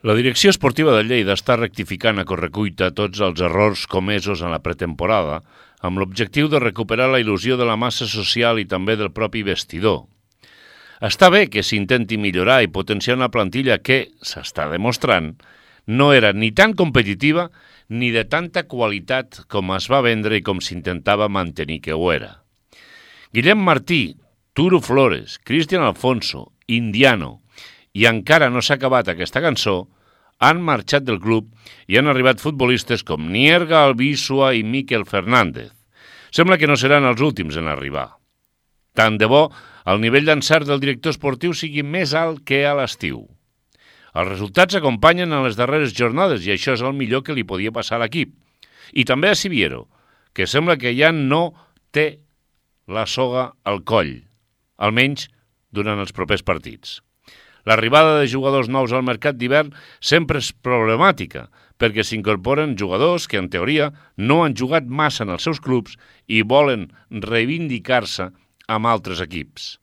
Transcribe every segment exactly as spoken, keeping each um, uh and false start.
La direcció esportiva de Lleida està rectificant a correcuita tots els errors comesos en la pretemporada amb l'objectiu de recuperar la il·lusió de la massa social i també del propi vestidor. Està bé que s'intenti millorar i potenciar una plantilla que, s'està demostrant, no era ni tan competitiva ni de tanta qualitat com es va vendre i com s'intentava mantenir que ho era. Guillem Martí, Turo Flores, Cristian Alfonso, Indiano i encara no s'ha acabat aquesta cançó, han marxat del club i han arribat futbolistes com Nierga, Albisua i Miquel Fernández. Sembla que no seran els últims en arribar. Tant de bo el nivell d'encert del director esportiu sigui més alt que a l'estiu. Els resultats acompanyen en les darreres jornades i això és el millor que li podia passar a l'equip. I també a Siviero, que sembla que ja no té la soga al coll, almenys durant els propers partits. L'arribada de jugadors nous al mercat d'hivern sempre és problemàtica, perquè s'incorporen jugadors que, en teoria, no han jugat massa en els seus clubs i volen reivindicar-se amb altres equips.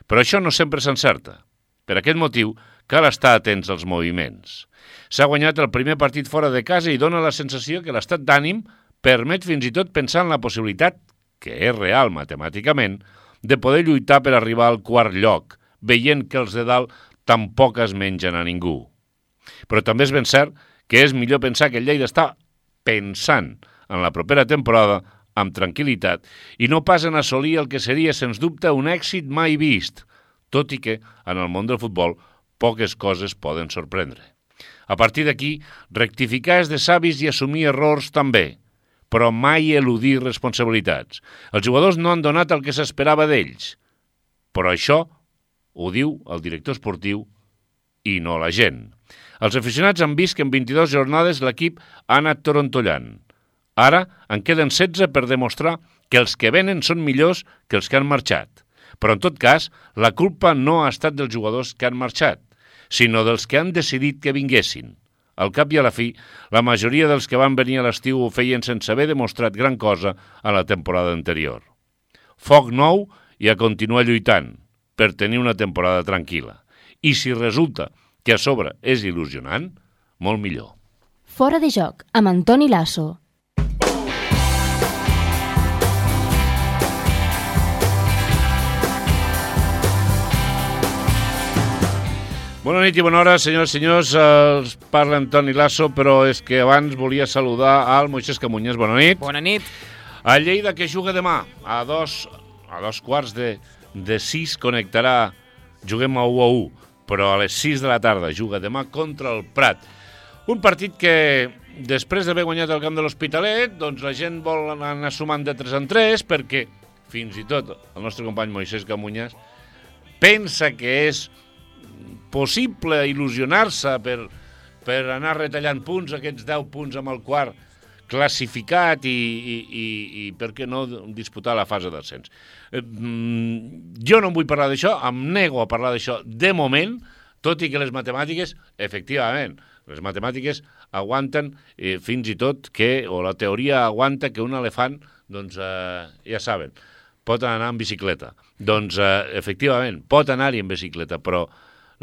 Però això no sempre s'encerta. Per aquest motiu, cal estar atents als moviments. S'ha guanyat el primer partit fora de casa i dona la sensació que l'estat d'ànim permet fins i tot pensar en la possibilitat, que és real matemàticament, de poder lluitar per arribar al quart lloc, veient que els de dalt tampoc es mengen a ningú. Però també és ben cert que és millor pensar que el Lleida està pensant en la propera temporada amb tranquil·litat i no pas en assolir el que seria, sens dubte, un èxit mai vist, tot i que, en el món del futbol, poques coses poden sorprendre. A partir d'aquí, rectificar és de savis i assumir errors també, però mai eludir responsabilitats. Els jugadors no han donat el que s'esperava d'ells, però això ho diu el director esportiu i no la gent. Els aficionats han vist que en vint-i-dues jornades l'equip ha anat torontollant. Ara en queden setze per demostrar que els que venen són millors que els que han marxat. Però en tot cas, la culpa no ha estat dels jugadors que han marxat, sinó dels que han decidit que vinguessin. Al cap i a la fi, la majoria dels que van venir a l'estiu ho feien sense haver demostrat gran cosa a la temporada anterior. Foc nou i a continuar lluitant per tenir una temporada tranquil·la. I si resulta que a sobre és il·lusionant, molt millor. Fora de joc, amb Antoni Lasso. Bona nit i bona hora, senyors i senyors. Els parla Antoni Lasso, però és que abans volia saludar al Moisés Camunyes. Bona nit. Bona nit. A Lleida, que juga demà, a dos, a dos quarts de, de sis connectarà, juguem a u a u, però a les sis de la tarda juga demà contra el Prat. Un partit que, després d'haver guanyat el camp de l'Hospitalet, doncs la gent vol anar sumant de tres en tres, perquè fins i tot el nostre company Moisés Camunyes pensa que és possible il·lusionar-se per, per anar retallant punts, aquests deu punts amb el quart classificat i, i, i, i per què no disputar la fase d'ascens. Eh, jo no em vull parlar d'això, em nego a parlar d'això de moment, tot i que les matemàtiques, efectivament, les matemàtiques aguanten eh, fins i tot que, o la teoria aguanta que un elefant, doncs eh, ja saben, pot anar en bicicleta. Doncs eh, efectivament, pot anar-hi en bicicleta, però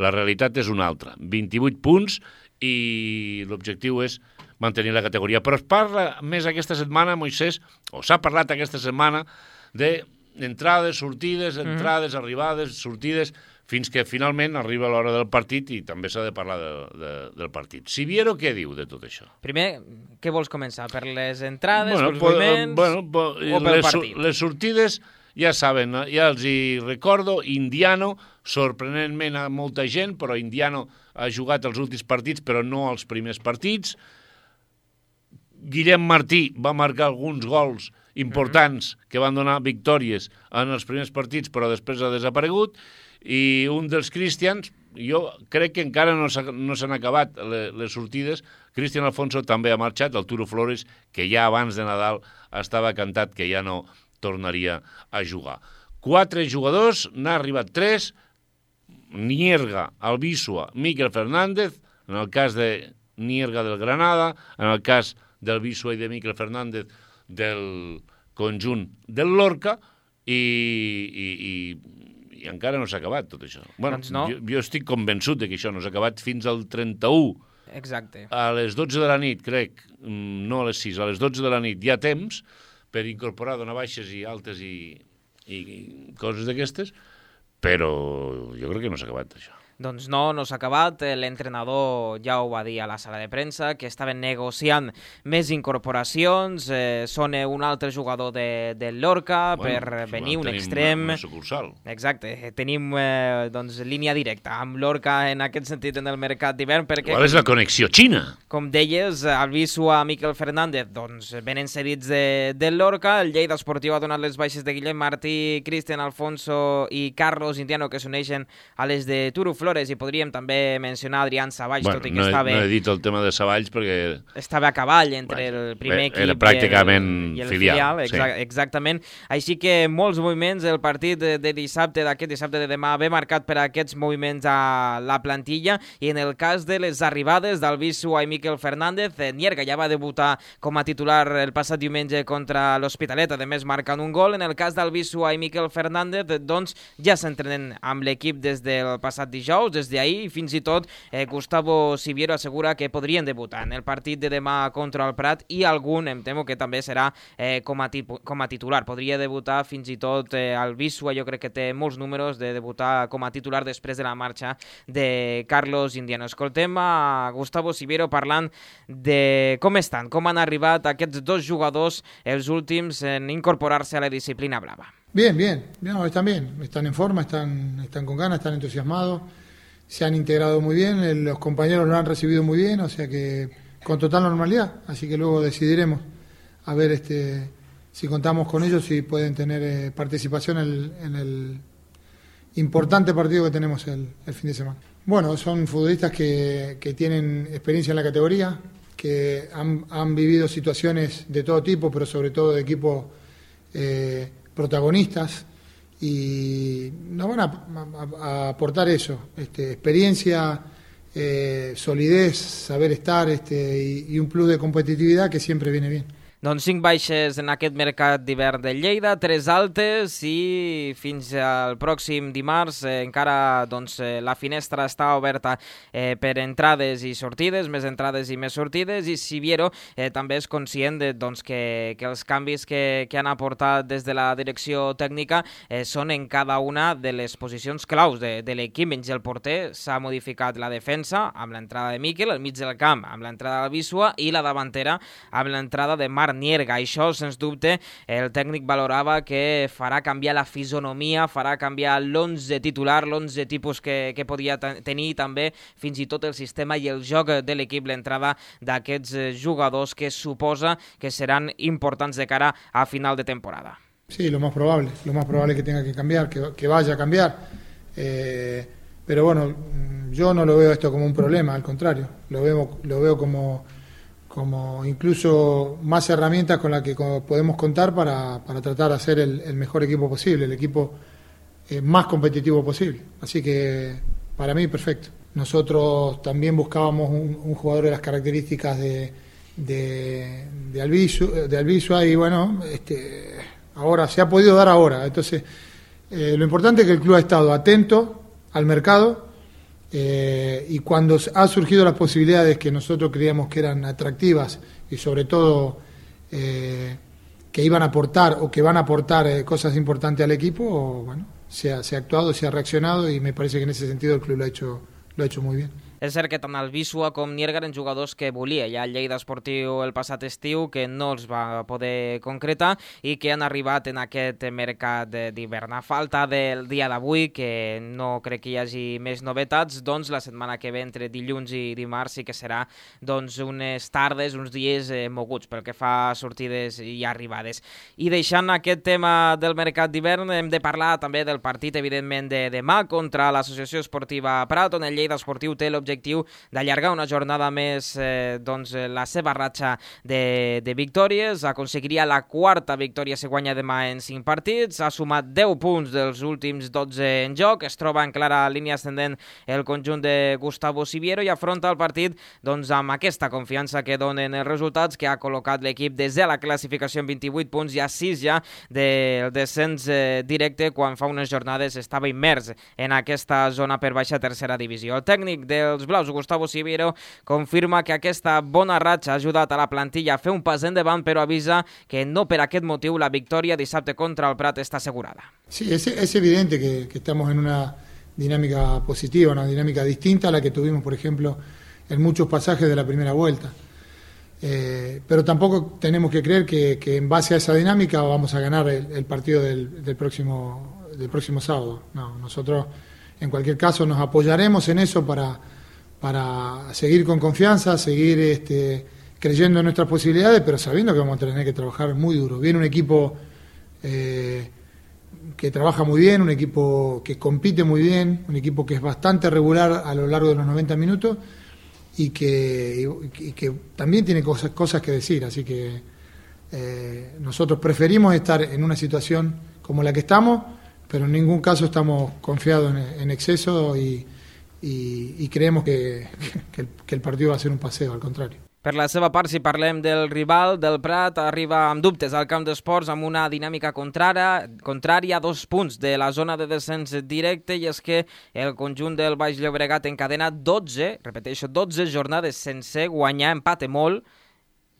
la realitat és una altra. vint-i-vuit punts i l'objectiu és mantenir la categoria. Però es parla més aquesta setmana, Moisés, o s'ha parlat aquesta setmana, d'entrades, sortides, entrades, mm. arribades, sortides, fins que finalment arriba l'hora del partit i també s'ha de parlar de, de, del partit. Siviero, què diu de tot això? Primer, què vols començar? Per les entrades, bueno, pels moviments bueno, po, o pel les, partit? Les sortides, ja saben, ja els hi recordo, Indiano, sorprenentment a molta gent, però Indiano ha jugat els últims partits, però no els primers partits. Guillem Martí va marcar alguns gols importants mm-hmm. que van donar victòries en els primers partits, però després ha desaparegut. I un dels Cristians, jo crec que encara no s'han no acabat les, les sortides. Cristian Alfonso també ha marxat, el Turo Flores, que ja abans de Nadal estava cantat que ja no tornaria a jugar. Quatre jugadors, n'ha arribat tres, Nierga, Albisua, Miquel Fernández, en el cas de Nierga del Granada, en el cas del Albisua i de Miquel Fernández del conjunt del Lorca, i, i, i, i encara no s'ha acabat tot això. Bueno, doncs no. jo, jo estic convençut de que això no s'ha acabat fins al trenta-u Exacte. A les dotze de la nit, crec, no a les sis, a les dotze de la nit hi ha temps per incorporar donar baixes i altes i, i, i coses d'aquestes, però jo crec que no s'ha acabat això. Doncs no, no s'ha acabat. L'entrenador ja ho va dir a la sala de premsa, que estaven negociant més incorporacions. Eh, són un altre jugador de, de Lorca bueno, per venir, un extrem. Una sucursal. Exacte. Tenim eh, doncs, línia directa amb Lorca en aquest sentit en el mercat d'hivern. Perquè, qual és la connexió xina? Com deies, Albisu a Miquel Fernández doncs, venen cedits de, de Lorca. El Lleida Esportiu ha donat les baixes de Guillem Martí, Cristian Alfonso i Carlos Indiano, que s'uneixen a les de Turu Flores, i podríem també mencionar Adrián Savalls, bueno, tot i que no, estava... no he dit el tema de Savalls perquè... Estava a cavall entre bueno, el primer equip era pràcticament i el, i el filial. filial. Exa sí. Exactament. Així que molts moviments. El partit de, de dissabte, d'aquest dissabte de demà, ve marcat per aquests moviments a la plantilla, i en el cas de les arribades d'Albisu i Miquel Fernández, Nierga ja va debutar com a titular el passat diumenge contra l'Hospitalet, a més marcant un gol. En el cas d'Albisu i Miquel Fernández, doncs ja s'entrenen amb l'equip des del passat dijous, des d'ahir, i fins i tot eh, Gustavo Siviero assegura que podrien debutar en el partit de demà contra el Prat, i algun, em temo que també serà eh, com, a com a titular. Podria debutar fins i tot eh, Albisu, jo crec que té molts números de debutar com a titular després de la marxa de Carlos Indiano. Escoltem a Gustavo Siviero parlant de com estan, com han arribat aquests dos jugadors, els últims en incorporar-se a la disciplina blava. Bien, bien, no, están bien, están en forma, están, están con ganas, están entusiasmados, se han integrado muy bien, los compañeros lo han recibido muy bien, o sea que con total normalidad, así que luego decidiremos a ver este si contamos con ellos, si pueden tener eh, participación en el, en el importante partido que tenemos el, el fin de semana. Bueno, son futbolistas que, que tienen experiencia en la categoría, que han, han vivido situaciones de todo tipo, pero sobre todo de equipos eh, protagonistas, y nos van a, a, a aportar eso, este, experiencia, eh, solidez, saber estar este, y, y un plus de competitividad que siempre viene bien. Doncs cinc baixes en aquest mercat d'hivern de Lleida, tres altes, i fins al pròxim dimarts eh, encara doncs, eh, la finestra està oberta eh, per entrades i sortides, més entrades i més sortides, i Siviero eh, també és conscient de, doncs, que, que els canvis que, que han aportat des de la direcció tècnica eh, són en cada una de les posicions claus de, de l'equip. Menys el porter, s'ha modificat la defensa amb l'entrada de Miquel, el mig del camp amb l'entrada d'Albisua, i la davantera amb l'entrada de Marc Nierga. Això, sens dubte, el tècnic valorava que farà canviar la fisonomia, farà canviar l'onze titular, l'onze tipus que, que podia tenir, també fins i tot el sistema i el joc de l'equip, l'entrada d'aquests jugadors que suposa que seran importants de cara a final de temporada. Sí, lo más probable, lo más probable que tenga que cambiar, que, que vaya a cambiar. Eh, pero bueno, yo no lo veo esto como un problema, al contrario, lo veo, lo veo como... como incluso más herramientas con las que podemos contar para, para tratar de hacer el, el mejor equipo posible, el equipo eh, más competitivo posible. Así que para mí perfecto. Nosotros también buscábamos un, un jugador de las características de, de, de Albisu, de Albisu y bueno, este, ahora se ha podido dar ahora. Entonces, eh, lo importante es que el club ha estado atento al mercado. Eh, y cuando han surgido las posibilidades que nosotros creíamos que eran atractivas y sobre todo eh, que iban a aportar o que van a aportar eh, cosas importantes al equipo, bueno, se ha, se ha actuado, se ha reaccionado y me parece que en ese sentido el club lo ha hecho, lo ha hecho muy bien. És cert que tant Albisu com Nierga eren jugadors que volia ja el Lleida Esportiu el passat estiu, que no els va poder concretar i que han arribat en aquest mercat d'hivern. A falta del dia d'avui, que no crec que hi hagi més novetats, doncs la setmana que ve, entre dilluns i dimarts, sí que serà doncs, unes tardes, uns dies eh, moguts pel que fa a sortides i arribades. I deixant aquest tema del mercat d'hivern, hem de parlar també del partit, evidentment, de demà contra l'Associació Esportiva Prat, on el Lleida Esportiu té l'objectiu d'allargar una jornada més eh, doncs, la seva ratxa de, de victòries. Aconseguiria la quarta victòria si guanya demà en cinc partits. Ha sumat deu punts dels últims dotze en joc. Es troba en clara línia ascendent el conjunt de Gustavo Siviero i afronta el partit doncs, amb aquesta confiança que donen els resultats, que ha col·locat l'equip des de la classificació en vint-i-vuit punts i a sis ja del descens eh, directe, quan fa unes jornades estava immers en aquesta zona per baixa tercera divisió. El tècnic dels dels blaus. Gustavo Siviero confirma que aquesta bona ratxa ha ajudat a la plantilla a fer un pas endavant, però avisa que no per aquest motiu la victòria dissabte contra el Prat està assegurada. Sí, es, es evidente que, que estamos en una dinámica positiva, una dinámica distinta a la que tuvimos, por ejemplo, en muchos pasajes de la primera vuelta. Eh, pero tampoco tenemos que creer que, que en base a esa dinámica vamos a ganar el, el partido del, del, próximo, del próximo sábado. No, nosotros en cualquier caso nos apoyaremos en eso para, para seguir con confianza, seguir este, creyendo en nuestras posibilidades, pero sabiendo que vamos a tener que trabajar muy duro. Viene un equipo eh, que trabaja muy bien, un equipo que compite muy bien, un equipo que es bastante regular a lo largo de los noventa minutos y que, y, y que también tiene cosas, cosas que decir. Así que eh, nosotros preferimos estar en una situación como la que estamos, pero en ningún caso estamos confiados en, en exceso y, y, y creemos que, que, el, que el partido va a ser un paseo, al contrario. Per la seva part, si parlem del rival, del Prat, arriba amb dubtes al camp d'esports amb una dinàmica contrària, contrària a dos punts de la zona de descens directe, i és que el conjunt del Baix Llobregat encadena dotze, repeteixo, dotze jornades sense guanyar, empate molt,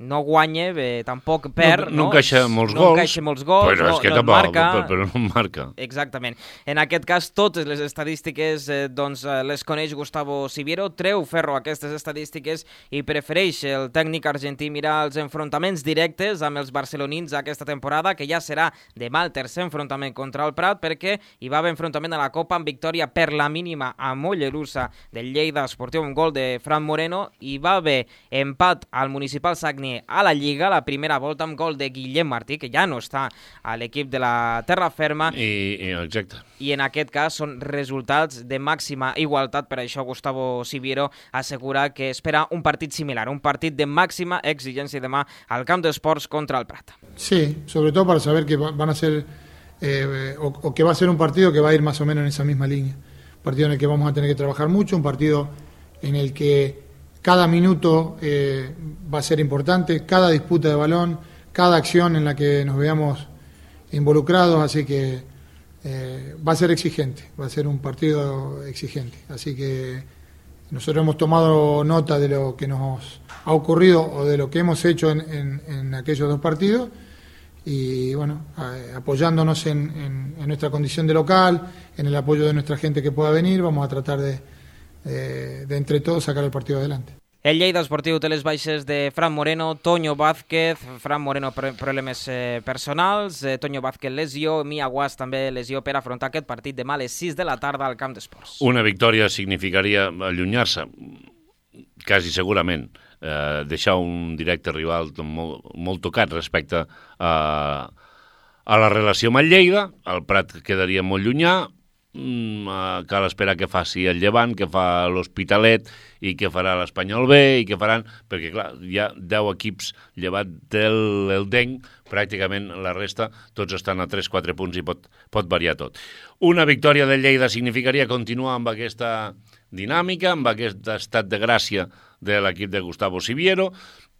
no guanya, bé, tampoc perd, no, no, no encaixa molts no gols, encaixa molts gols, però, no, és que no tampoc, marca. Però, però no marca. Exactament. En aquest cas, totes les estadístiques eh, doncs, les coneix Gustavo Siviero, treu ferro aquestes estadístiques i prefereix el tècnic argentí mirar els enfrontaments directes amb els barcelonins aquesta temporada, que ja serà demà el tercer enfrontament contra el Prat, perquè hi va haver enfrontament a la Copa amb victòria per la mínima a Mollerussa del Lleida Esportiu amb gol de Fran Moreno, i va haver empat al Municipal Sagni a la Lliga, la primera volta amb gol de Guillem Martí, que ja no està a l'equip de la Terra Ferma. I, i, exacte. I en aquest cas són resultats de màxima igualtat, per això Gustavo Siviero assegura que espera un partit similar, un partit de màxima exigència demà al camp d'esports contra el Prat. Sí, sobre todo para saber que van a ser, eh, o, o que va a ser un partido que va a ir más o menos en esa misma línea. Un partido en el que vamos a tener que trabajar mucho, un partido en el que cada minuto eh, va a ser importante, cada disputa de balón, cada acción en la que nos veamos involucrados, así que eh, va a ser exigente, va a ser un partido exigente. Así que nosotros hemos tomado nota de lo que nos ha ocurrido o de lo que hemos hecho en, en, en aquellos dos partidos y bueno, eh, apoyándonos en, en, en nuestra condición de local, en el apoyo de nuestra gente que pueda venir, vamos a tratar de De, de entre todos sacar el partido adelante. El Lleida Esportiu té les baixes de Fran Moreno, Toño Vázquez, Fran Moreno problemes eh, personals, eh, Toño Vázquez lesió, Mia Guas també lesió per afrontar aquest partit demà a les sis de la tarda al camp d'esports. Una victòria significaria allunyar-se, quasi segurament, eh, deixar un directe rival molt, molt tocat respecte a, a la relació amb el Lleida. El Prat quedaria molt llunyà. Mm, uh, cal esperar que faci el Llevant, que fa l'Hospitalet i que farà l'Espanyol B i que faran, perquè clar, hi ha deu equips llevat del el D E N, pràcticament la resta tots estan a tres quatre punts i pot, pot variar tot. Una victòria del Lleida significaria continuar amb aquesta dinàmica, amb aquest estat de gràcia de l'equip de Gustavo Siviero,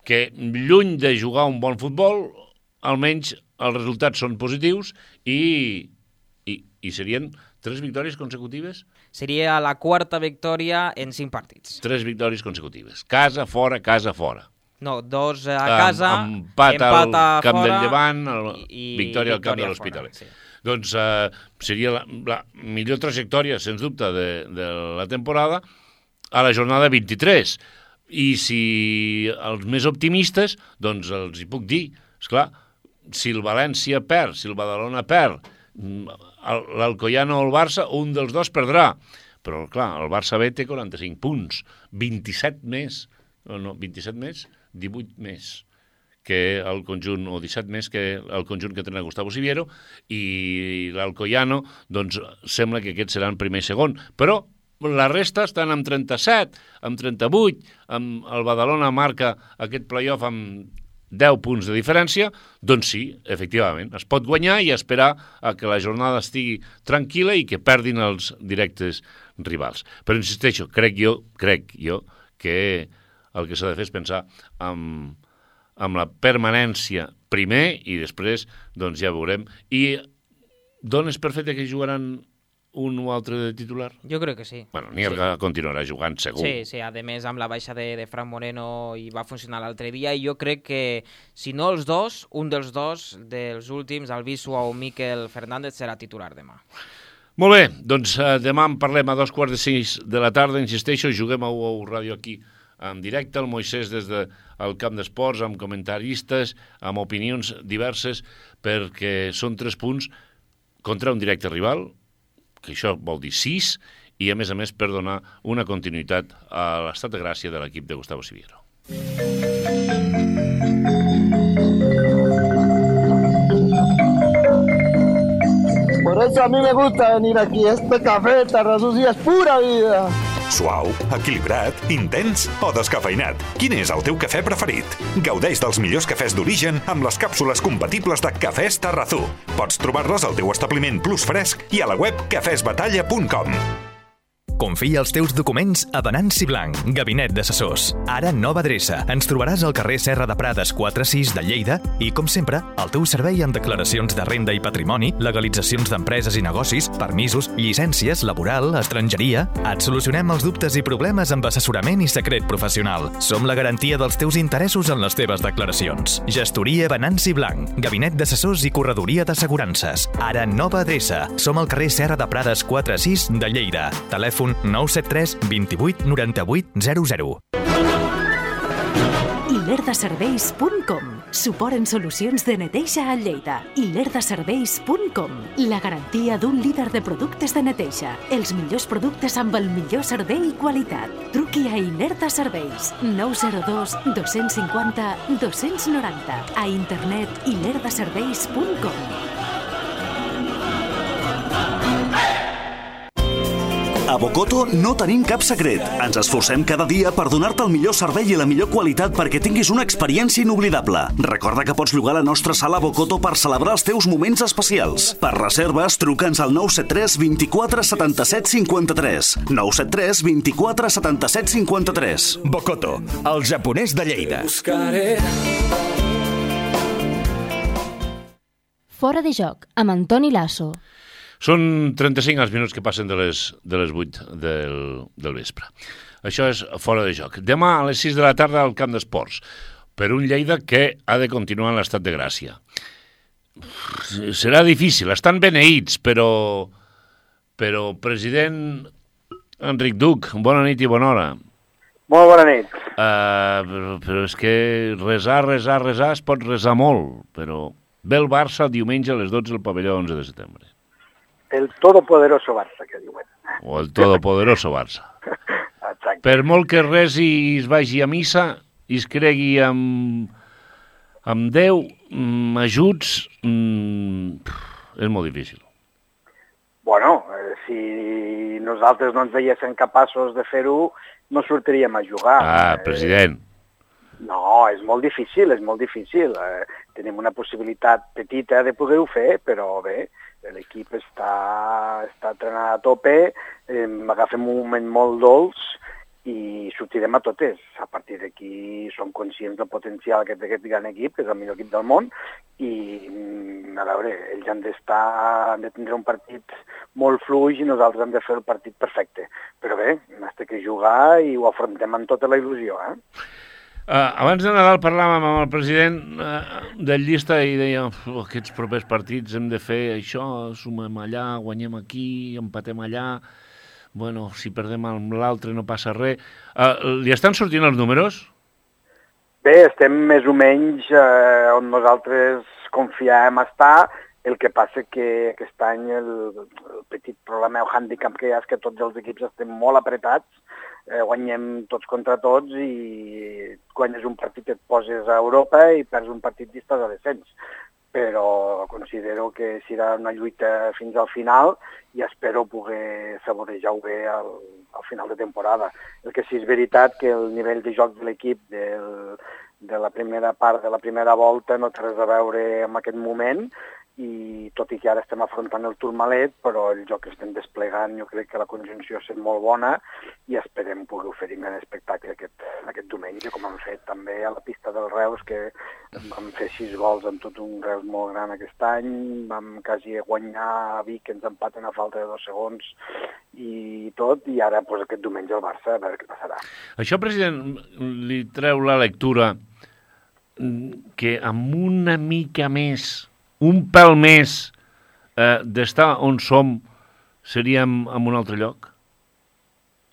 que lluny de jugar un bon futbol, almenys els resultats són positius i, i, i serien tres victòries consecutives? Seria la quarta victòria en cinc partits. Tres victòries consecutives. Casa, fora, casa, fora. No, dos a casa, um, empat, empat al camp fora, del Llevant, el, i, victòria al camp victòria de l'Hospitalet. Sí. Doncs uh, seria la, la millor trajectòria, sens dubte, de, de la temporada a la jornada vint-i-tres. I si els més optimistes, doncs els hi puc dir, esclar, si el València perd, si el Badalona perd, l'Alcoyano o el Barça, un dels dos perdrà. Però, clar, el Barça B té quaranta-cinc punts, vint-i-set més, no, vint-i-set més, divuit més que el conjunt, o disset més que el conjunt que tenen Gustavo Siviero, i l'Alcoyano, doncs, sembla que aquests seran primer i segon. Però la resta estan amb trenta-set, amb trenta-vuit, amb el Badalona marca aquest playoff amb deu punts de diferència, doncs sí, efectivament, es pot guanyar i esperar a que la jornada estigui tranquil·la i que perdin els directes rivals. Però insisteixo, crec jo, crec jo que el que s'ha de fer és pensar en, en la permanència primer i després doncs ja veurem. I dones per fet que jugaran un o altre de titular? Jo crec que sí. Bueno, Nierga sí. continuarà jugant segur. Sí, sí, a més amb la baixa de, de Fran Moreno i va funcionar l'altre dia i jo crec que si no els dos, un dels dos dels últims, el Bisua o Miquel Fernández serà titular demà. Molt bé, doncs eh, demà en parlem a dos quarts de sis de la tarda, insisteixo, juguem a U O U Ràdio aquí en directe, el Moisès des del camp d'esports, amb comentaristes, amb opinions diverses, perquè són tres punts contra un directe rival, que això vol dir sis, i a més a més per donar una continuïtat a l'estat de gràcia de l'equip de Gustavo Siviero. Por eso a mí me gusta venir aquí, este café Tarrasús es pura vida. Suau, equilibrat, intens o descafeinat? Quin és el teu cafè preferit? Gaudeix dels millors cafès d'origen amb les càpsules compatibles de Cafès Tarrazú. Pots trobar-les al teu establiment Plus Fresc i a la web cafès batalla punt com. Confia els teus documents a Venanci Blanc, gabinet d'assessors. Ara nova adreça. Ens trobaràs al carrer Serra de Prades quatre sis de Lleida i, com sempre, el teu servei en declaracions de renda i patrimoni, legalitzacions d'empreses i negocis, permisos, llicències, laboral, estrangeria... Et solucionem els dubtes i problemes amb assessorament i secret professional. Som la garantia dels teus interessos en les teves declaracions. Gestoria Venanci Blanc, gabinet d'assessors i corredoria d'assegurances. Ara nova adreça. Som al carrer Serra de Prades quatre sis de Lleida. Telèfon nou set tres dos vuit nou vuit zero zero. i lerdaserveis punt com. Suport en solucions de neteja a Lleida. i lerdaserveis punt com. La garantia d'un líder de productes de neteja. Els millors productes amb el millor servei i qualitat. Truqui a Ilerda Serveis. nou zero dos dos cinquanta dos noranta. A internet i lerdaserveis punt com. A Bocoto no tenim cap secret. Ens esforcem cada dia per donar-te el millor servei i la millor qualitat perquè tinguis una experiència inoblidable. Recorda que pots llogar la nostra sala Bocoto per celebrar els teus moments especials. Per reserves, truca'ns al nou set tres dos quatre set set cinc tres. nou set tres dos quatre set set cinc tres. Bocoto, el japonès de Lleida. Fora de joc, amb Antoni Lasso. Són trenta-cinc els minuts que passen de les, de les vuit del, del vespre. Això és Fora de joc. Demà a les sis de la tarda al camp d'esports, per un Lleida que ha de continuar en l'estat de gràcia. Serà difícil, estan beneïts, però, però president Enric Duc, bona nit i bona hora. Molt bona nit. Uh, però, però és que resar, resar, resar, es pot resar molt, però ve el Barça diumenge a les dotze al pavelló onze de setembre. El todopoderoso Barça, que diuen. O el todopoderoso Barça. Exacte. Per molt que resi i es vagi a missa i es cregui amb, amb Déu, amb ajuts, mm, és molt difícil. Bueno, eh, si nosaltres no ens veiéssim capaços de fer-ho, no sortiríem a jugar. Ah, president. Eh, no, és molt difícil, és molt difícil. Eh, tenim una possibilitat petita de poder-ho fer, però bé, l'equip està, està entrenat a tope, eh, agafem un moment molt dolç i sortirem a totes. A partir d'aquí som conscients del potencial que té aquest gran equip, que és el millor equip del món, i a veure, ells han d'estar, han de tindre un partit molt fluix i nosaltres hem de fer el partit perfecte. Però bé, hem de que jugar i ho afrontem amb tota la il·lusió, eh? Uh, abans de Nadal parlàvem amb el president uh, del llista i deia oh, aquests propers partits hem de fer això, sumem allà, guanyem aquí, empatem allà, bueno, si perdem amb l'altre no passa res. Uh, li estan sortint els números? Bé, estem més o menys eh, on nosaltres confiàvem estar, el que passa que aquest any el, el petit problema o hàndicap que hi ha és que tots els equips estem molt apretats, eh, guanyem tots contra tots i guanyes un partit et poses a Europa i perds un partit i estàs a descens. Però considero que serà una lluita fins al final i espero poder saborejar-ho bé al, al final de temporada. El que sí és veritat que el nivell de joc de l'equip del, de la primera part de la primera volta no té res a veure amb aquest moment i tot i que ara estem afrontant el Tourmalet, però el joc que estem desplegant jo crec que la conjunció ha estat molt bona i esperem poder oferir un gran espectacle aquest, aquest diumenge, com hem fet també a la pista del Reus, que vam fer sis gols amb tot un Reus molt gran aquest any, vam quasi guanyar a Vic, que ens empaten a falta de dos segons i tot, i ara pues, aquest diumenge el Barça, a veure què passarà. Això, president, li treu la lectura que amb una mica més, un pèl més eh, d'estar on som, seríem en un altre lloc?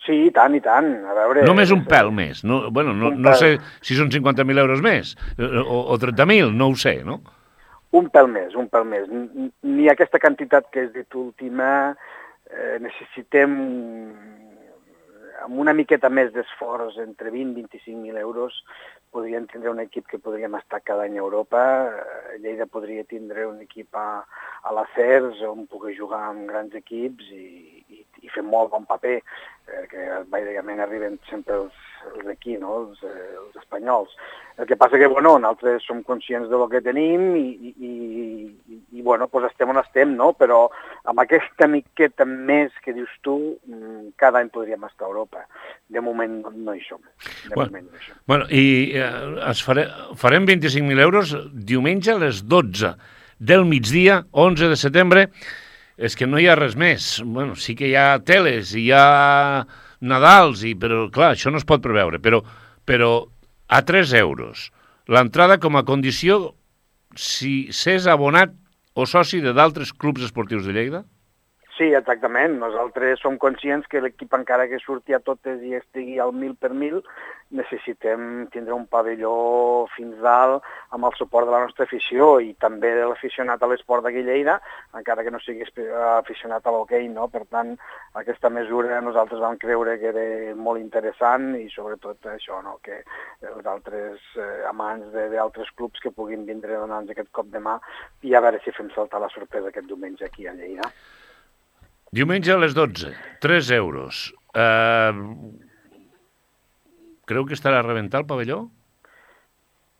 Sí, i tant, i tant. A veure... Només un pèl més. No, bueno, no, no sé si són cinquanta mil euros més o, o trenta mil, no ho sé, no? Un pèl més, un pèl més. Ni aquesta quantitat que has dit última, eh, necessitem amb una miqueta més d'esforç, entre vint i vint-i-cinc mil euros, podríem tindre un equip que podríem estar cada any a Europa. Lleida podria tindre un equip a, a l'Acers, on pugui jugar amb grans equips i, i, i fer molt bon paper, eh, que bàsicament arriben sempre els, els d'aquí, no? els, eh, els espanyols. El que passa que, bueno, nosaltres som conscients del que tenim i, i, i, i bueno, pues estem on estem, no? Però amb aquesta miqueta més que dius tu, cada any podríem estar a Europa. De moment no hi som. De bueno, moment no hi som. Bueno, i eh, es fare, farem vint-i-cinc mil euros diumenge a les dotze del migdia, onze de setembre. És que no hi ha res més. Bueno, sí que hi ha teles, hi ha Nadals, i, però clar, això no es pot preveure. Però, però a tres euros. L'entrada com a condició si s'és abonat o soci de d'altres clubs esportius de Lleida? Sí, exactament. Nosaltres som conscients que l'equip, encara que surti a totes i estigui al mil per mil, necessitem tindre un pavelló fins dalt amb el suport de la nostra afició i també de l'aficionat a l'esport d'aquí Lleida, encara que no sigui aficionat a l'hoquei, no? Per tant, aquesta mesura nosaltres vam creure que era molt interessant i sobretot això, no? Que els altres eh, amants d'altres clubs que puguin vindre a donar-nos aquest cop de mà i a veure si fem saltar la sorpresa aquest diumenge aquí a Lleida. Diumenge a les dotze, tres euros. Uh, creu que estarà a rebentar el pavelló?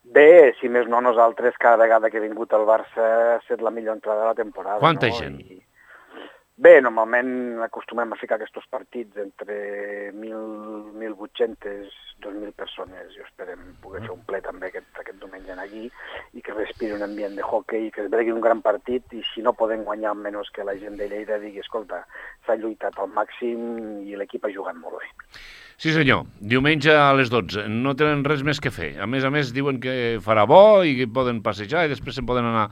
Bé, si més no, nosaltres cada vegada que he vingut al Barça ha estat la millor entrada de la temporada. Quanta no? gent? I... Bé, normalment acostumem a ficar aquests partits entre mil vuit-cents, dos mil persones i esperem poder fer un ple també aquest, aquest diumenge aquí i que respiri un ambient de hockey i que es vegi un gran partit i si no podem guanyar menys que la gent de Lleida digui, escolta, s'ha lluitat al màxim i l'equip ha jugat molt bé. Sí senyor, diumenge a les dotze, no tenen res més que fer. A més a més diuen que farà bo i que poden passejar i després se'n poden anar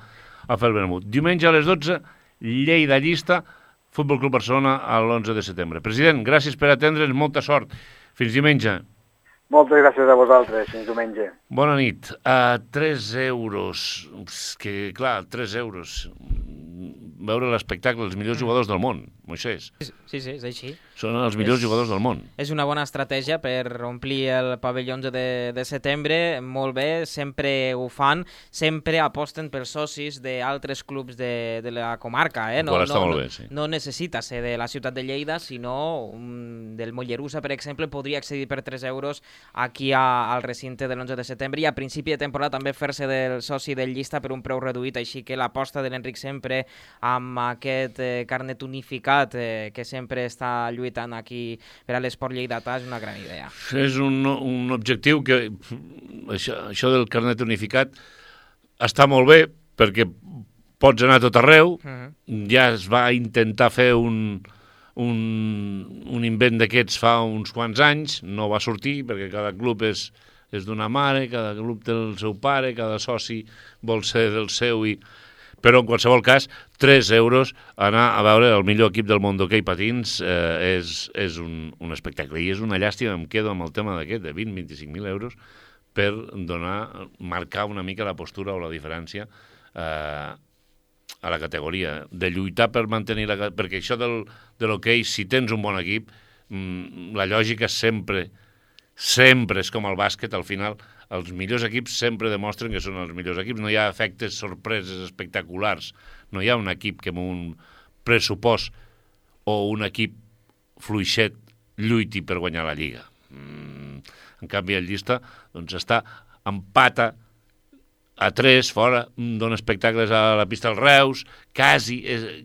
a fer el vermut. Diumenge a les dotze, Lleida Llista, Futbol Club Barcelona a l'onze de setembre. President, gràcies per atendre'ns, molta sort. Fins diumenge. Moltes gràcies a vosaltres, fins diumenge. Bona nit. A tres euros, que clar, tres euros, veure l'espectacle, els millors jugadors del món, Moisés. Sí, sí, és així. Són els millors és, jugadors del món. És una bona estratègia per omplir el pavelló onze de, de setembre, molt bé, sempre ho fan, sempre aposten pels socis d'altres clubs de, de la comarca. Eh? No, està no, molt bé, sí. No necessita ser de la ciutat de Lleida, sinó um, del Mollerussa, per exemple, podria accedir per tres euros aquí a, al recinte de l'onze de setembre i a principi de temporada també fer-se del soci del Llista per un preu reduït, així que l'aposta de l'Enric sempre amb aquest eh, carnet unificat eh, que sempre està lluitant aquí per a l'esport lleidatà és una gran idea. És un, un objectiu que això, això del carnet unificat està molt bé perquè pots anar a tot arreu. Uh-huh. Ja es va intentar fer un, un, un invent d'aquests fa uns quants anys, no va sortir perquè cada club és, és d'una mare, cada club té el seu pare, cada soci vol ser del seu i... Però en qualsevol cas, tres euros anar a veure el millor equip del món d'hoquei patins eh, és, és un, un espectacle. I és una llàstima, em quedo amb el tema d'aquest, de vint a vint-i-cinc mil euros, per donar, marcar una mica la postura o la diferència eh, a la categoria. De lluitar per mantenir la... Perquè això del, de l'hoquei, si tens un bon equip, mmm, la lògica sempre, sempre és com el bàsquet, al final... Els millors equips sempre demostren que són els millors equips. No hi ha efectes, sorpreses espectaculars. No hi ha un equip que amb un pressupost o un equip fluixet lluiti per guanyar la Lliga. Mm, en canvi, el Llista doncs, està empata a tres, fora, dona espectacles a la pista del Reus, quasi,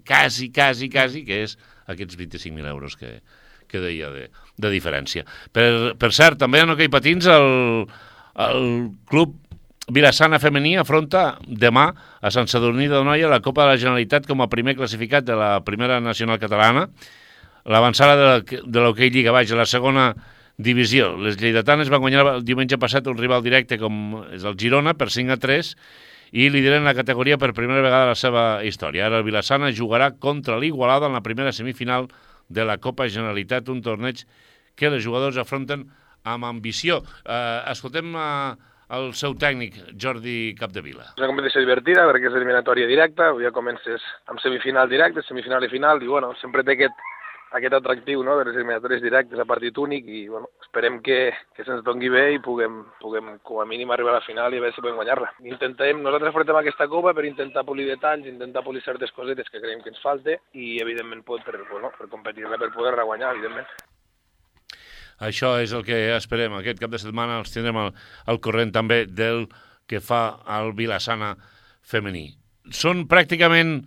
quasi, quasi, quasi, que és aquests vint-i-cinc mil euros que, que deia de, de diferència. Per, per cert, també en hoquei patins, el, el club Vilassana femení afronta demà a Sant Sadurní d'Anoia la Copa de la Generalitat com a primer classificat de la primera nacional catalana, l'avançada de, de l'hoquei Lliga Baix a la segona divisió. Les lleidatanes van guanyar el diumenge passat un rival directe com és el Girona per cinc a tres i lideren la categoria per primera vegada a la seva història. Ara el Vilassana jugarà contra l'Igualada en la primera semifinal de la Copa Generalitat, un torneig que els jugadors afronten amb ambició. Eh, escoltem a el seu tècnic, Jordi Capdevila. És una competició divertida perquè és eliminatòria directa, ja comences amb semifinal directe, semifinal i final, i bueno, sempre té aquest, aquest atractiu, no?, de les eliminatòries directes a partit únic, i bueno, esperem que, que se'ns doni bé i puguem, puguem com a mínim arribar a la final i a veure si podem guanyar-la. Intentem, nosaltres afrontem aquesta copa per intentar polir detalls, intentar polir certes cosetes que creiem que ens falte i evidentment pot per, bueno, per competir-la, per poder-la guanyar, evidentment. Això és el que esperem. Aquest cap de setmana els tindrem al, al corrent també del que fa el Vilassana femení. Són pràcticament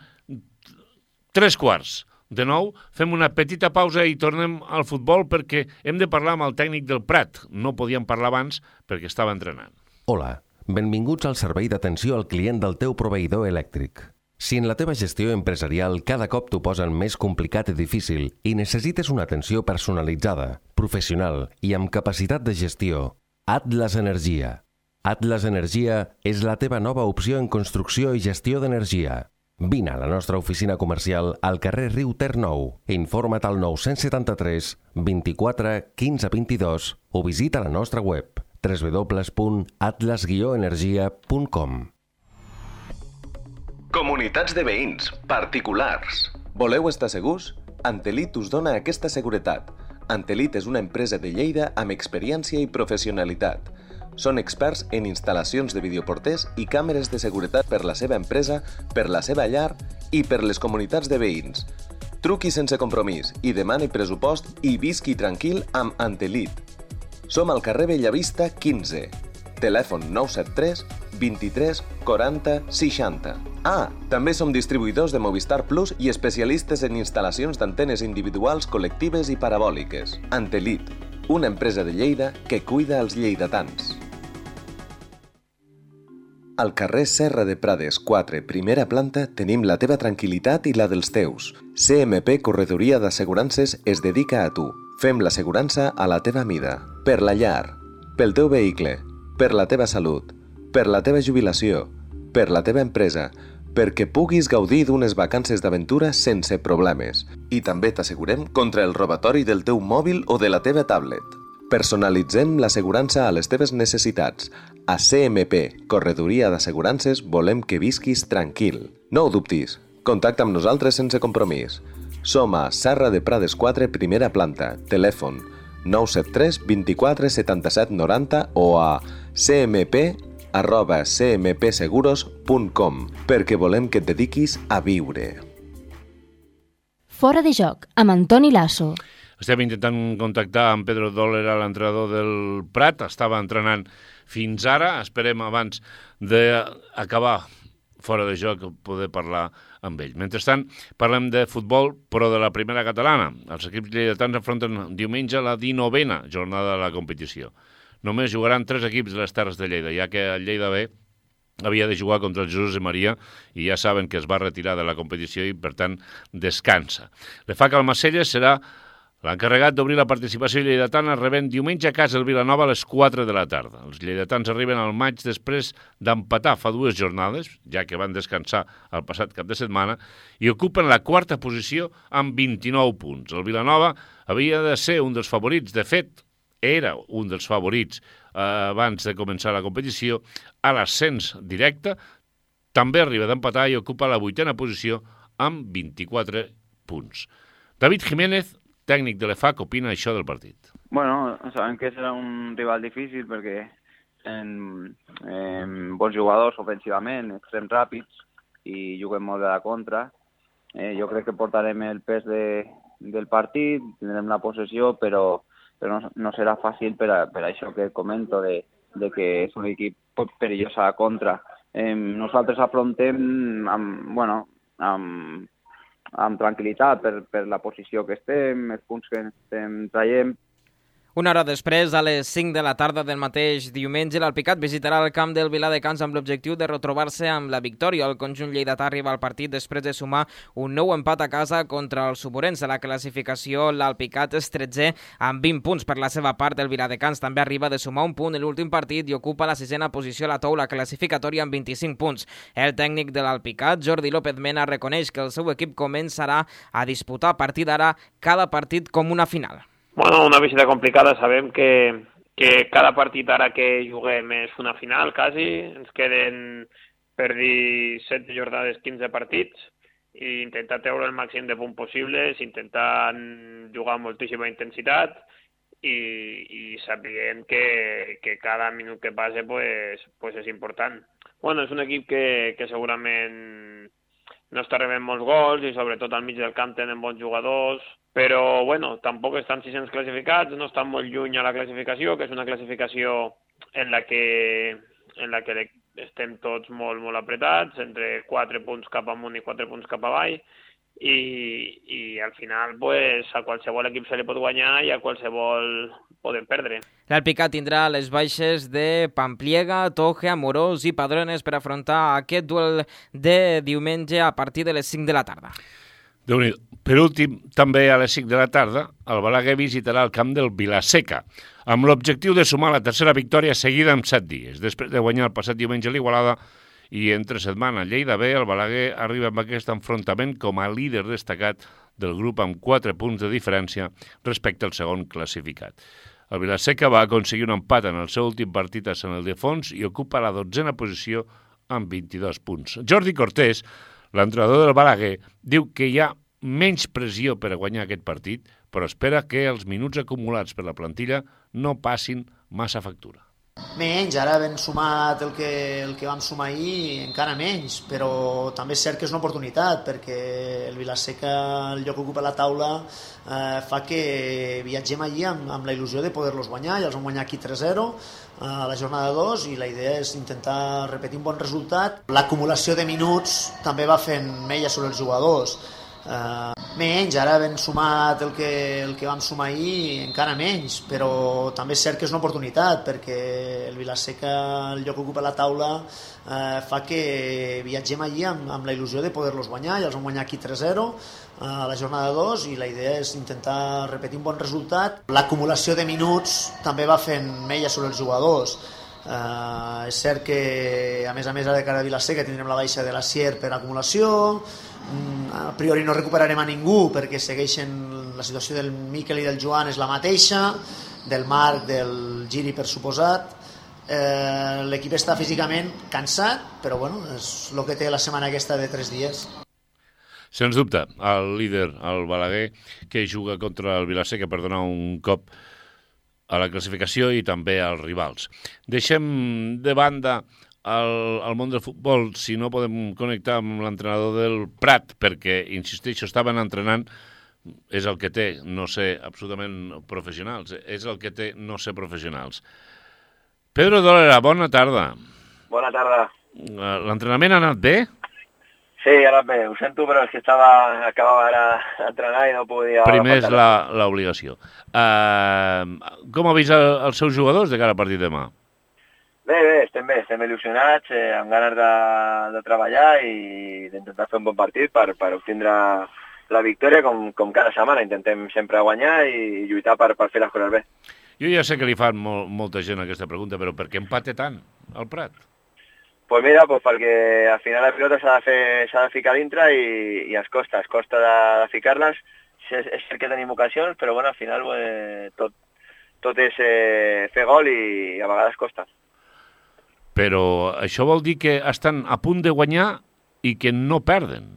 tres quarts de nou. Fem una petita pausa i tornem al futbol perquè hem de parlar amb el tècnic del Prat. No podíem parlar abans perquè estava entrenant. Hola, benvinguts al servei d'atenció al client del teu proveïdor elèctric. Si en la teva gestió empresarial cada cop t'ho posen més complicat i difícil i necessites una atenció personalitzada, professional i amb capacitat de gestió, Atlas Energia. Atlas Energia és la teva nova opció en construcció i gestió d'energia. Vine a la nostra oficina comercial al carrer Riu Ter nou. Informa't al nou set tres, vint-i-quatre, quinze, vint-i-dos o visita la nostra web w w w punt atlas guió energia punt com. Comunitats de veïns, particulars. Voleu estar segurs? Antelit us dona aquesta seguretat. Antelit és una empresa de Lleida amb experiència i professionalitat. Són experts en instal·lacions de videoporters i càmeres de seguretat per la seva empresa, per la seva llar i per les comunitats de veïns. Truqui sense compromís i demani pressupost i visqui tranquil amb Antelit. Som al carrer Bellavista quinze. Telèfon nou set tres, vint-i-tres, quaranta, seixanta. Ah, també som distribuïdors de Movistar Plus i especialistes en instal·lacions d'antenes individuals, col·lectives i parabòliques. Antelit, una empresa de Lleida que cuida els lleidatans. Al carrer Serra de Prades quatre, primera planta, tenim la teva tranquil·litat i la dels teus. C M P Corredoria d'Assegurances es dedica a tu. Fem l'assegurança a la teva mida. Per la llar, pel teu vehicle, per la teva salut, per la teva jubilació, per la teva empresa, perquè puguis gaudir d'unes vacances d'aventura sense problemes. I també t'assegurem contra el robatori del teu mòbil o de la teva tablet. Personalitzem l'assegurança a les teves necessitats. A C M P, Corredoria d'Assegurances, volem que visquis tranquil. No ho dubtis. Contacta amb nosaltres sense compromís. Som a Serra de Prades quatre, primera planta. Telèfon nou set tres, vint-i-quatre, setanta-set, noranta o a cmp arroba c m p seguros punt com perquè volem que et dediquis a viure. Fora de joc, amb Antoni Lasso. Estem intentant contactar amb Pedro Dólera, l'entrenador del Prat. Estava entrenant fins ara. Esperem abans d'acabar fora de joc poder parlar amb ell. Mentrestant, parlem de futbol, però de la primera catalana. Els equips lleidatans enfronten diumenge la dinovena jornada de la competició. Només jugaran tres equips de les Terres de Lleida, ja que el Lleida B havia de jugar contra el Jesús de Maria i ja saben que es va retirar de la competició i, per tant, descansa. L'E F A C Almacelles serà l'encarregat d'obrir la participació lleidatana rebent diumenge a casa el Vilanova a les quatre de la tarda. Els lleidatans arriben al maig després d'empatar fa dues jornades, ja que van descansar el passat cap de setmana, i ocupen la quarta posició amb vint-i-nou punts. El Vilanova havia de ser un dels favorits, de fet, era un dels favorits eh, abans de començar la competició, a l'ascens directe, també arriba d'empatar i ocupa la vuitena posició amb vint-i-quatre punts. David Jiménez, tècnic de l'E F A C, opina això del partit. Bueno, sabem que serà un rival difícil perquè en, en bons jugadors ofensivament, extrems ràpids i juguem molt de la contra. Eh, jo crec que portarem el pes de, del partit, tindrem la possessió, però, però no, no serà fàcil per, a, per això que comento de, de que és un equip perillós a la contra eh, nosaltres afrontem amb, bueno, amb, amb tranquil·litat per, per la posició que estem, els punts que estem traient. Una hora després, a les cinc de la tarda del mateix diumenge, l'Alpicat visitarà el camp del Viladecans amb l'objectiu de retrobar-se amb la victòria. El conjunt lleidatà arriba al partit després de sumar un nou empat a casa contra els suburents. A la classificació, l'Alpicat és tretzè amb vint punts. Per la seva part, el Viladecans també arriba de sumar un punt en l'últim partit i ocupa la sisena posició a la taula classificatòria amb vint-i-cinc punts. El tècnic de l'Alpicat, Jordi López Mena, reconeix que el seu equip començarà a disputar a partir d'ara cada partit com una final. Bueno, una visita complicada, sabem que, que cada partit ara que juguem és una final, quasi. Ens queden, per dir, setze jornades, quinze partits, i intentar treure el màxim de punts possibles, intentar jugar amb moltíssima intensitat i, i sapiguem que, que cada minut que passe pues, pues és important. Bueno, és un equip que, que segurament no està rebent molts gols i sobretot al mig del camp tenen bons jugadors, però bueno, tampoc estan sis-cents classificats, no estan molt lluny a la classificació, que és una classificació en la que, en la que estem tots molt, molt apretats, entre quatre punts cap amunt i quatre punts cap avall, i, i al final pues, a qualsevol equip se li pot guanyar i a qualsevol poden perdre. L'Alpicat tindrà les baixes de Pampliega, Toje, Amorós i Padrones per afrontar aquest duel de diumenge a partir de les cinc de la tarda. Déu-n'hi-do. Per últim, també a les cinc de la tarda, el Balaguer visitarà el camp del Vilaseca, amb l'objectiu de sumar la tercera victòria seguida en set dies. Després de guanyar el passat diumenge a l'Igualada i entre setmana a Lleida B, el Balaguer arriba amb aquest enfrontament com a líder destacat del grup amb quatre punts de diferència respecte al segon classificat. El Vilaseca va aconseguir un empat en el seu últim partit a Sant Ildefons i ocupa la dotzena posició amb vint-i-dos punts. Jordi Cortés, l'entrenador del Balaguer, diu que hi ha menys pressió per a guanyar aquest partit, però espera que els minuts acumulats per la plantilla no passin massa factura. Menys, ara ben sumat el que, el que vam sumar ahir, encara menys, però també és cert que és una oportunitat, perquè el Vilaseca, el lloc que ocupa la taula, eh, fa que viatgem allí amb, amb la il·lusió de poder-los guanyar, ja els vam guanyar aquí tres zero a la jornada dos i la idea és intentar repetir un bon resultat. L'acumulació de minuts també va fent mella sobre els jugadors. Uh, menys, ara ben sumat el que, el que vam sumar ahir, encara menys, però també és cert que és una oportunitat, perquè el Vilaseca, el lloc que ocupa la taula, uh, fa que viatgem allí amb, amb la il·lusió de poder-los guanyar, ja els vam guanyar aquí tres zero a la jornada dos i la idea és intentar repetir un bon resultat. L'acumulació de minuts també va fent mella sobre els jugadors. Uh, és cert que a més a més ara de cara a Vilaseca tindrem la baixa de la Sier per acumulació, mm, a priori no recuperarem a ningú perquè segueixen la situació del Miquel i del Joan és la mateixa, del Marc, del Giri per suposat. Eh, l'equip està físicament cansat, però bueno, és el que té la setmana aquesta de tres dies. Sens dubte, el líder, el Balaguer, que juga contra el Vilaseca per donar un cop a la classificació i també als rivals. Deixem de banda el, el món del futbol, si no podem connectar amb l'entrenador del Prat, perquè, insisteixo, estaven entrenant, és el que té no ser absolutament professionals, és el que té no ser professionals. Pedro Dolera, bona tarda. Bona tarda. L'entrenament ha anat bé? Sí, ha anat bé. Ho sento, però és que estava, acabava ara d'entrenar i no podia... Primer és l'obligació. Uh, com ha vist el, els seus jugadors de cara al partit demà? Bé, bé, estem bé, estem il·lusionats, eh, amb ganes de, de treballar i d'intentar fer un bon partit per, per obtindre la victòria, com, com cada setmana. Intentem sempre guanyar i lluitar per, per fer les coses bé. Jo ja sé que li fan molt, molta gent aquesta pregunta, però per què empate tant al Prat? Pues mira, pues perquè al final la pilota s'ha de, fer, s'ha de ficar dintre i, i es costa, es costa de, de ficar-les. És, és cert que tenim ocasions, però bueno, al final eh, tot, tot és eh, fer gol i, i a vegades costa. Però això vol dir que estan a punt de guanyar i que no perden.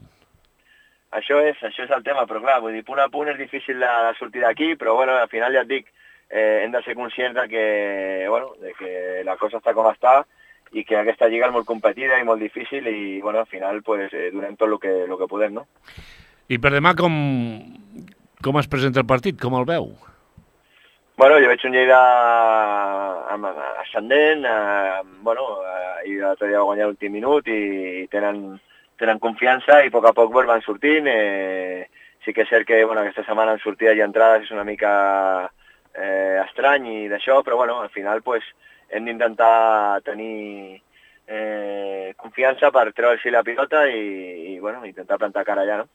Això és, això és el tema, però clar, vull dir, punt a punt és difícil de, de sortir d'aquí, però bueno, al final ja et dic, eh, hem de ser conscients de que, bueno, de que la cosa està com està, i que aquesta lliga és molt competida i molt difícil i, bueno, al final, pues, eh, donem tot el que, el que podem, no? I per demà com, com es presenta el partit? Com el veu? Bueno, jo veig un Lleida ascendent, eh, bueno, eh, i l'altre dia va guanyar l'últim minut i tenen, tenen confiança i a poc a poc pues, van sortint. Eh, sí que és cert que bueno, aquesta setmana en sortides i entrades és una mica eh, estrany i d'això, però bueno, al final pues, hem d'intentar tenir eh, confiança per treure-s'hi la pilota i, i bueno, intentar plantar cara allà, no?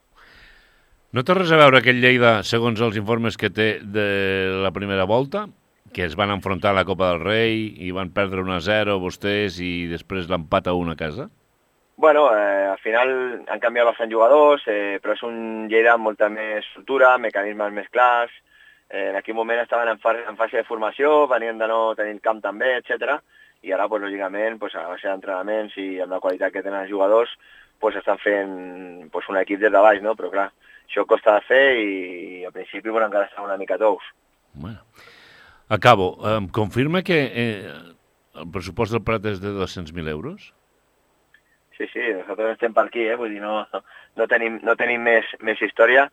No té res a veure aquest Lleida, segons els informes que té de la primera volta, que es van enfrontar a la Copa del Rei i van perdre un a zero vostès i després l'empat a un a casa? Bueno, eh, al final han canviat bastants jugadors, eh, però és un Lleida amb molta més estructura, mecanismes més clars. Eh, en aquell moment estaven en, fa en fase de formació, venien de no tenir camp també, etcètera. I ara, pues, lògicament, pues, a base d'entrenaments i amb la qualitat que tenen els jugadors, pues, estan fent pues, un equip des de baix, no? Però clar, això costa de fer i, i al principi bueno, encara estan una mica tous. Bueno. Acabo. Em confirma que eh, el pressupost del Prat és de dos-cents mil euros? Sí, sí, nosaltres estem per aquí, eh? Vull dir, no, no tenim, no tenim més, més història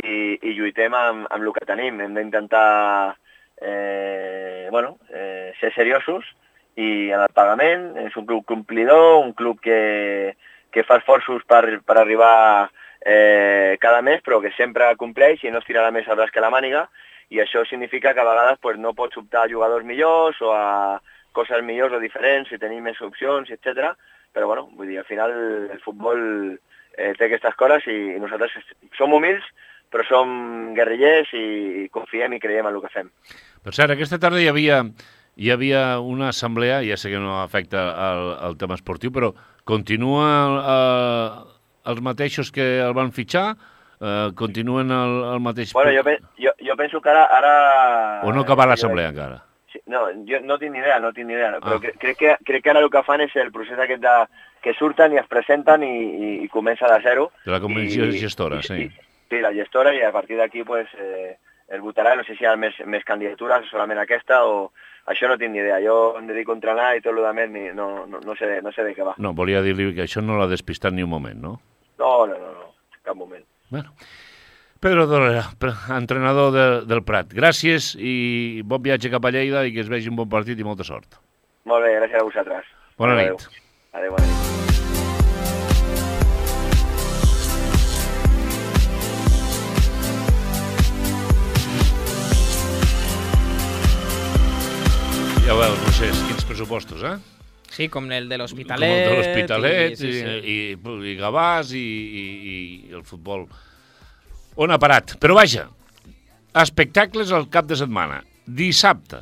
i, i lluitem amb, amb el que tenim. Hem d'intentar eh, bueno, eh, ser seriosos i en el pagament. És un club complidor, un club que, que fa esforços per, per arribar eh, cada mes, però que sempre compleix i no es tirarà més al braç que la màniga, i això significa que a vegades pues, no pots optar a jugadors millors o a coses millors o diferents i tenir més opcions, etcètera. Però bueno, vull dir, al final el futbol eh, té aquestes coses i, i nosaltres som humils, però som guerrillers i, i confiem i creiem en el que fem. Per cert, aquesta tarda hi havia, hi havia una assemblea, ja sé que no afecta el, el tema esportiu, però continua eh, els mateixos que el van fitxar? Eh, continuen el, el mateix... Bueno, jo, jo, jo penso que ara... ara... O no acabar l'assemblea encara? No, jo no tinc ni idea, no tinc ni idea, però ah. crec, que, crec que ara el que fan és el procés aquest de que surten i es presenten i, i, i comença de zero. De la comissió I, gestora, i, sí. I, sí, la gestora, i a partir d'aquí pues, eh, el votarà, no sé si hi ha més, més candidatures, solament aquesta, o això no tinc ni idea. Jo em dedico a entrenar i tot el que més no, no, no, sé, no sé de què va. No, volia dir-li que això no l'ha despistat ni un moment, no? No, no, no, no, cap moment. Bueno... Pedro Dolera, entrenador de, del Prat. Gràcies i bon viatge cap a Lleida i que es vegi un bon partit i molta sort. Molt bé, gràcies a vosaltres. Bona Adeu. nit. Adéu, bona nit. Ja veus, no sé, quins pressupostos, eh? Sí, com el de l'Hospitalet. Com el de l'Hospitalet, i, sí, sí. i, i, i Gavàs i, i, i el futbol... On ha parat? Però vaja, espectacles al cap de setmana. Dissabte,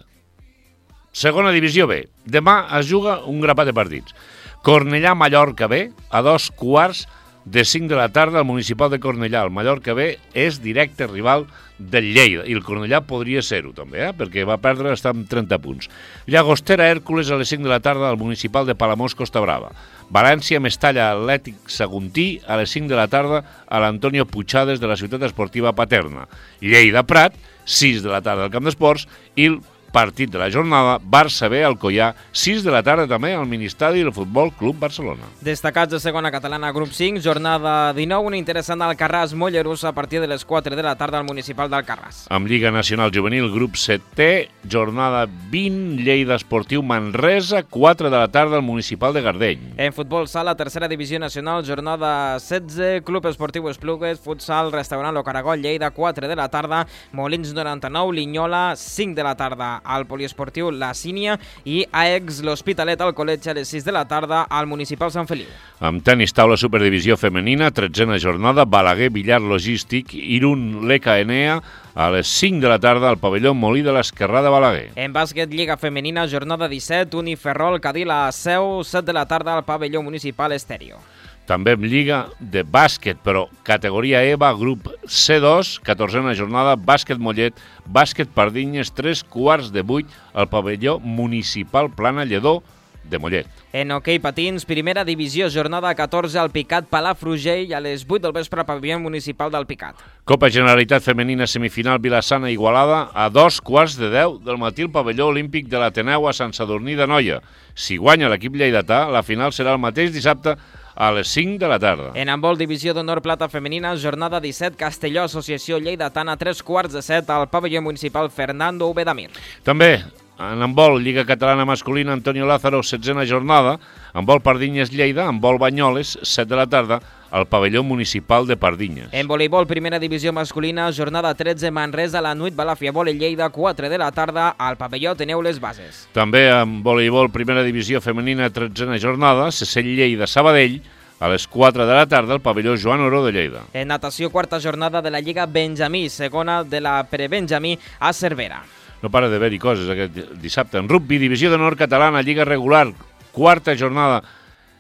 segona divisió B. Demà es juga un grapat de partits. Cornellà-Mallorca B, a dos quarts de cinc de la tarda al municipal de Cornellà. El Mallorca B és directe rival del Lleida, i el Cornellà podria ser-ho també, eh? perquè va perdre, està amb trenta punts. Llagostera-Hèrcules a les cinc de la tarda al municipal de Palamós-Costa Brava. València-Mestalla Atlètic Saguntí a les cinc de la tarda a l'Antonio Puigades de la Ciutat Esportiva Paterna. Lleida-Prat, sis de la tarda al Camp d'Esports, i el partit de la jornada, Barça B Alcoià, sis de la tarda també al Ministadi del Futbol Club Barcelona. Destacats de segona catalana, grup cinc, jornada dinou, una interessant d'Alcarràs Mollerús a partir de les quatre de la tarda al municipal d'Alcarràs. Amb Lliga Nacional Juvenil, grup setè, jornada vint, Lleida Esportiu Manresa, quatre de la tarda al municipal de Gardeny. En futbol sala, tercera divisió nacional, jornada setze, Club Esportiu Esplugues, futsal, restaurant Lo Caragol, Lleida, quatre de la tarda, Molins noranta-nou, Linyola, cinc de la tarda al poliesportiu La Sínia, i A E X l'Hospitalet al col·legi a les sis de la tarda al municipal Sant Feliu. Amb tenis taula superdivisió femenina, tretzena jornada, Balaguer Villar Logístic, Irún Leca Enea a les cinc de la tarda al pavelló Molí de l'Esquerrà de Balaguer. En bàsquet, Lliga Femenina, jornada disset, Uniferrol Cadí la Seu, set de la tarda al pavelló municipal Estèreo. També amb Lliga de bàsquet, però categoria EVA, grup C dos, catorzena jornada, bàsquet Mollet, bàsquet Pardinyes, tres quarts de vuit al pavelló municipal Plana Lledó de Mollet. En hoquei patins, primera divisió, jornada catorze al Picat Palafrugell, a les vuit del vespre, pavelló municipal del Picat. Copa Generalitat Femenina semifinal Vilassana Igualada, a dos quarts de deu del matí al pavelló olímpic de l'Ateneu a Sant Sadurní d'Anoia. Si guanya l'equip lleidatà, la final serà el mateix dissabte a les cinc de la tarda. En handbol, divisió d'honor plata femenina, jornada disset, Castelló, Associació Lleidatana, tres quarts de set al pavelló municipal Fernando Ubedamir. També En handbol, Lliga Catalana Masculina, Antonio Lázaro, setzena jornada. Handbol Pardinyes-Lleida, handbol Banyoles, set de la tarda, al pavelló municipal de Pardinyes. En voleibol, primera divisió masculina, jornada tretze, Manresa, la Nuit Balàfia, Vole Lleida, quatre de la tarda, al pavelló Teneu les Bases. També en voleibol, primera divisió femenina, tretzena jornada, Sesell Lleida, Sabadell, a les quatre de la tarda, al pavelló Joan Oró de Lleida. En natació, quarta jornada de la Lliga Benjamí, segona de la Prebenjamí a Cervera. No para d'haver-hi coses aquest dissabte. En rugby, divisió d'honor catalana, Lliga regular, quarta jornada,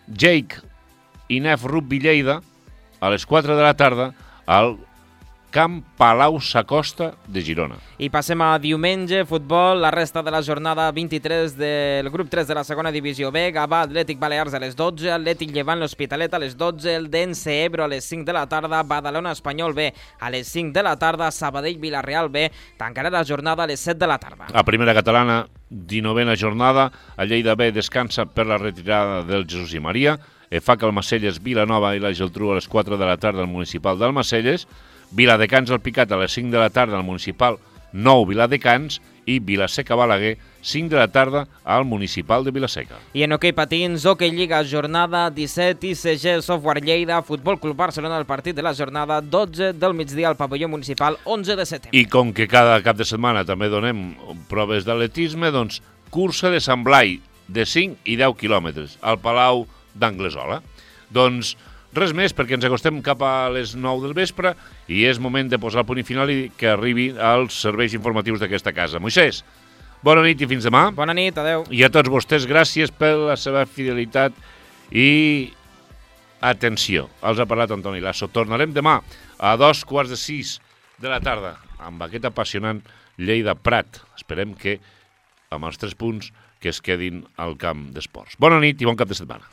Jake i Nef Rugby Lleida, a les quatre de la tarda, al Camp Palau Sacosta de Girona. I passem a diumenge, futbol, la resta de la jornada vint-i-tres del grup tres de la segona divisió B, Gavà Atlètic Balears a les dotze, Atlètic Llevant l'Hospitalet a les dotze, el Dense Ebro a les cinc de la tarda, Badalona Espanyol B a les cinc de la tarda, Sabadell Vilareal B tancarà la jornada a les set de la tarda. A primera catalana, dinovena jornada, a Lleida B descansa per la retirada del Jesús i Maria, Efac Almacelles, Vilanova i la Geltrú a les quatre de la tarda al municipal d'Almacelles, Viladecans al Picat a les cinc de la tarda al municipal nou Viladecans i Vilaseca Balaguer, cinc de la tarda al municipal de Vilaseca. I en hoquei patins, Hoquei Lliga, jornada disset, I C G Software Lleida, Futbol Club Barcelona, el partit de la jornada, dotze del migdia al pavelló municipal, onze de setembre. I com que cada cap de setmana també donem proves d'atletisme, doncs cursa de Sant Blai de cinc i deu quilòmetres al Palau d'Anglesola. Doncs res més, perquè ens acostem cap a les nou del vespre i és moment de posar el punt i final i que arribi als serveis informatius d'aquesta casa. Moisès, bona nit i fins demà. Bona nit, adeu. I a tots vostès, gràcies per la seva fidelitat i atenció. Els ha parlat Antoni Lasso. Tornarem demà a dos quarts de sis de la tarda amb aquest apassionant Lleida Prat. Esperem que amb els tres punts que es quedin al camp d'esports. Bona nit i bon cap de setmana.